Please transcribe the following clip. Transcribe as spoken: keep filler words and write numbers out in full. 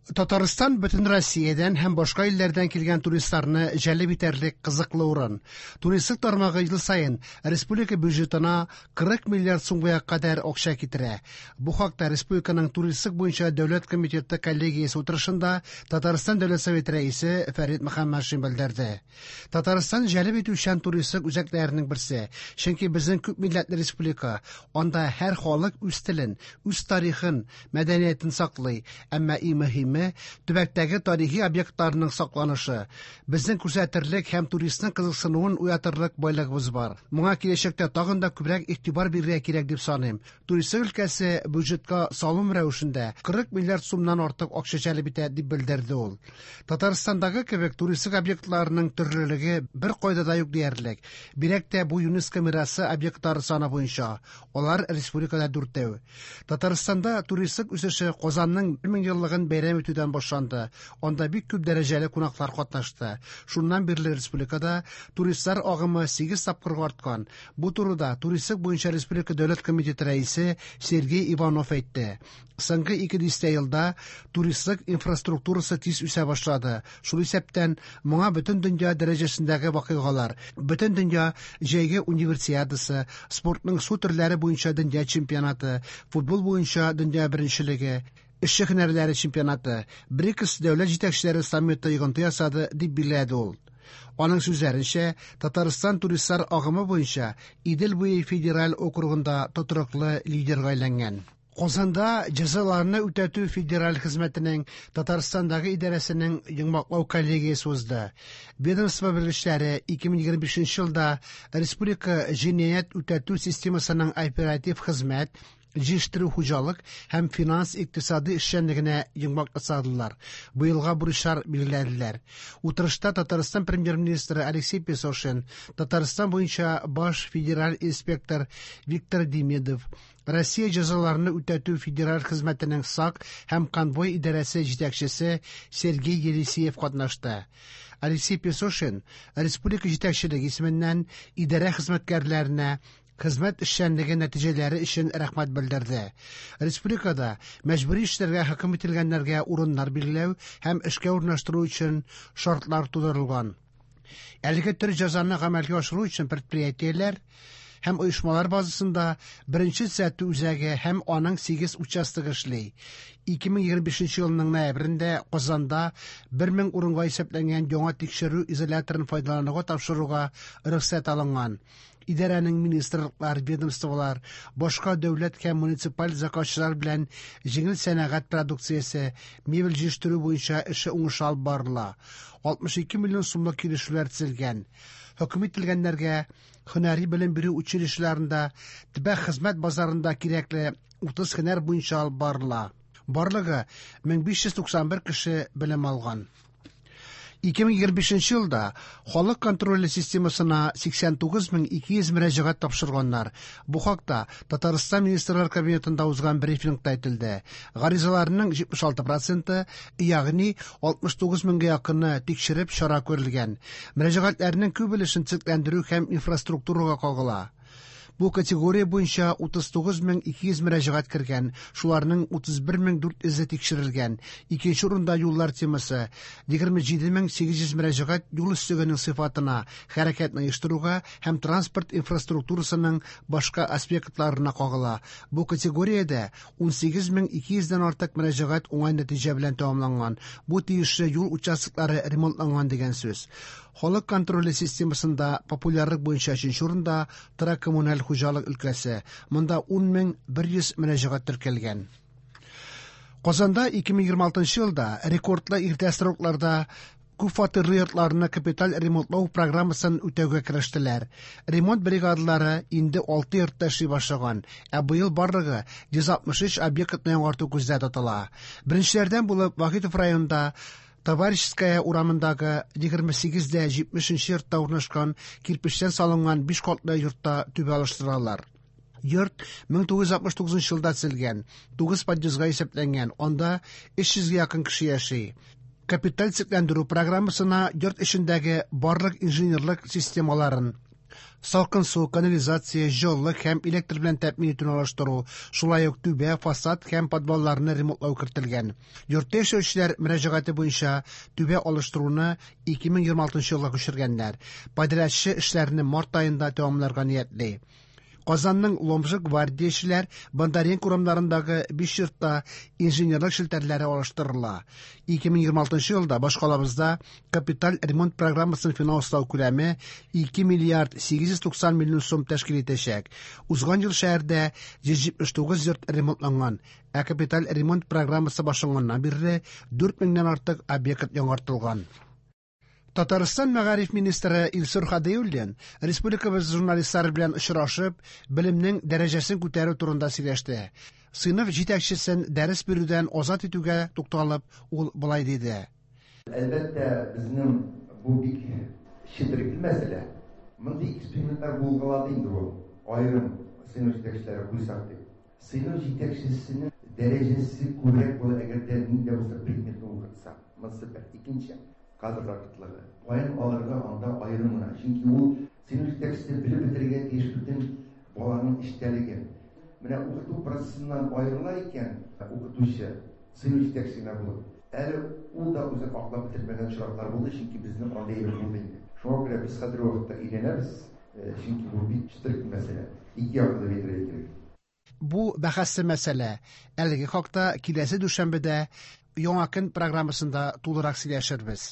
Татарстан бөтен Россиядән һәм башка илләрдән килгән туристларны җәлеп итәрлек кызыклы урын. Туристлык тармагы ел саен республика бюджетына кырык миллиард сумга кадәр акча китерә. Бу хакта республиканың туристлык буенча дәүләт комитеты коллегиясе утырышында Татарстан Дәүләт Советы рәисе Фәрит Мөхәммәтшин белдерде. Татарстан җәлеп итүчән туристлык үзәкләренең берсе, чөнки безнең күп милләтле республика, анда һәр халык үз телен, үз тарихын, мәдәниятен саклый, әмма иң мөһиме төбәктәге тарихи объектларның сакланышы. Безнең күрсәтерлек һәм туристның кызыксынуын уятырлык байлыгыбыз бар. Моңа киләчәктә тагын да күбрәк игътибар бирергә кирәк дип саныйм. Туристлык өлкәсе бюджетка салым рәвешендә кырык миллиард сумнан артык акча җәлеп итә дип белдерде ул. Татарстандагы кебек туристлык объектларының төрлелеге бер кайда да юк диярлек. Бигрәк тә бу ЮНЕСКО мирасы объектлары саны буенча. Алар республикада дүртәү. Татарстанда туристлык үсеше Казанның бер мең еллыгын бәйрәм итүдән башланды. Анда бик күп дәрәҗәле кунаклар катнашты. Шуннан бирле республикада туристлар агымы сигез тапкырга арткан. Бу турыда туристлык буенча республика дәүләт комитеты рәисе Сергей Иванов әйтте. Соңгы ике дистә елда туристлык инфраструктурасы тиз үсә башлады. Шул исәптән моңа бөтен дөнья дәрәҗәсендәге вакыйгалар, бөтен дөнья җәйге универсиадасы, спортның су төрләре буенча дөнья чемпионаты, футбол буенча дөнья беренчелеге, эшче һөнәрләре чемпионаты, БРИКС дәүләт җитәкчеләре саммиты йогынты ясады дип билгеләде ул. Аның сүзләренчә, Татарстан туристлар агымы буенча Идел буе федераль округында тотрыклы лидерга әйләнгән. Казанда җәзаларны үтәтү федераль хезмәтенең Татарстандагы идарәсенең йомгаклау коллегиясе узды. Ведомство белгечләре ике мең егерме бишенче елда республика җинаять үтәтү системасының оператив хезмәт, җыештыру хуҗалык һәм финанс икътисади эшчәнлегенә йомгак ясадылар. Быелга бурычлар билгеләделәр. Утырышта Татарстан премьер-министры Алексей Песошин, Татарстан буенча баш федераль инспектор Виктор Демидов, Россия җәзаларны үтәтү федераль хезмәтенең САК һәм конвой идарәсе җитәкчесе Сергей Елисеев катнашты. Алексей Песошин республика җитәкчелеге исеменнән идарә хезмәткәрләренә хезмәт эшчәнлеге нәтиҗәләре өчен рәхмәт белдерде. Республикада мәҗбүри эшләргә хөкем ителгәннәргә урыннар билгеләү һәм эшкә урнаштыру өчен шартлар тудырылган. Әлеге төр җәзаны гамәлгә ашыру өчен предприятиеләр һәм оешмалар базасында беренче төзәтү үзәге һәм аның сигез участогы эшли. Ике мең егерме бишенче елның ноябрендә Казанда бер мең урынга исәпләнгән яңа тикшерү изоляторын файдалануга тапшыруга рөхсәт алынган. Идарәнең министрлыклар, ведомстволар, башка дәүләт һәм муниципаль заказчылар белән җиңел сәнәгать продукциясе, мебель җитештерү буенча эше уңышлы алып барыла. Алтмыш ике миллион сумлык килешүләр төзелгән. Хөкем ителгәннәргә һөнәри белем бирү училищеларында, төбәк хезмәт базарында кирәкле утыз һөнәр буенча алып барыла. Барлыгы мең биш йөз туксан бер кеше белем алган. Ике мең егерме бишенче елда халык контроле системасына сиксән тугыз мең ике йөз мөрәҗәгать тапшырганнар. Бу хакта Татарстан Министрлар Кабинетында узган брифингта әйтелде. Гаризаларның җитмеш алты проценты, ягъни алтмыш тугыз меңгә якыны тикшереп чара күрелгән. Мөрәҗәгатьләрнең күп өлешен төзекләндерү һәм инфраструктурага кагыла. Бу категория буенча утыз тугыз мең ике йөз мөрәҗәгать кергән, шуларның утыз бер мең дүрт йөзе тикшерелгән. Икенче урында юллар темасы, егерме җиде мең сигез йөз мөрәҗәгать юл өслегенең сыйфатына, хәрәкәтне оештыруга һәм транспорт инфраструктурасының башка аспектларына кагыла. Бу категориядә ун сигез мең ике йөздән артык мөрәҗәгать уңай нәтиҗә белән тәмамланган. Бу тиешле юл участоклары ремонтланган дигән сүз. Халык контроле системасында популярлык буенча өченче урында тора коммуналь хуҗалык өлкәсе. Монда ун мең бер йөз мөрәҗәгать теркәлгән. Казанда ике мең егерме алтынчы елда рекордлы иртә срокларда күп фатирлы йортларны капиталь ремонтлау программасын үтәүгә керештеләр. Ремонт бригадалары инде алты йортта эшли башлаган, ә быел барлыгы йөз алтмыш өч объектны яңарту күздә тотыла. Беренчеләрдән булып Вахитов районында Товарищеская урамындагы егерме сигез дә җитмешенче йортта урнашкан кирпечтән салынган биш катлы йортта түбә алыштыралар. Йорт мең тугыз йөз алтмыш тугызынчы елда төзелгән, тугыз подъездга исәпләнгән, анда өч йөзгә якын кеше яши. Капиталь төзекләндерү программасына йорт эчендәге барлык инженерлык системаларын, Салкын су, канализация, җылылык һәм электр белән тәэмин итүне алыштыру, шулай ук түбә, фасад һәм подвалларны ремонтлау кертелгән. Йортта яшәүчеләр мөрәҗәгате буенча түбә алыштыруны ике мең егерме алтынчы елга күчергәннәр. Подрядчы эшләрне март аенда тәмамларга ниятли. Казанның Ломжа, Гвардиячеләр, Бондаренко урамнарындагы биш йортта инженерлык челтәрләре алыштырыла. ике мең егерме алтынчы елда башкалабызда капиталь ремонт программасын финанслау күләме ике миллиард сигез йөз туксан миллион сум тәшкил итәчәк. Узган ел шәһәрдә йөз җитмеш тугыз йорт ремонтланган, ә капиталь ремонт программасы башланганнан бирле дүрт меңнән артык объект яңартылган. Татарстан мәгариф министры Илсур Һадиуллин республикабыз журналистлары белән очрашып, белемнең дәрәҗәсен күтәрү турында сөйләште. Сыйныф җитәкчесен дәрес бирүдән азат итүгә тукталып, ул болай диде. Әлбәттә, безнең бу бик четерекле мәсьәлә. Мондый экспериментлар булгалады инде ул. Аерым сыйныф җитәкчеләре куйсак дип. Сыйныф җитәкчесенең дәрәҗәсе күбрәк була, әгәр дә нинди дә булса предметны укытса. Монысы бер. Икенче, кадрлар кытлыгы. Каян алырга анда аерым гына. Чөнки ул сыйныф җитәкчесе белеп бетерергә тиеш бөтен баланың эчтәлеген. Менә укыту процессыннан аерыла икән укытучы сыйныф җитәкчесе генә булып. Әле ул да үзен аклап бетермәгән очраклар булды, чөнки безнең андый әйбер булды инде. Шуңа күрә без хәзерге вакытта өйрәнәбез, чөнки бу бик четерекле мәсьәлә. Ике яклы дип әйтергә кирәк. Бу бәхәсле мәсьәлә. Әлеге хакта киләсе дүшәмбедә Яңа көн программасында тулырак сөйләшербез.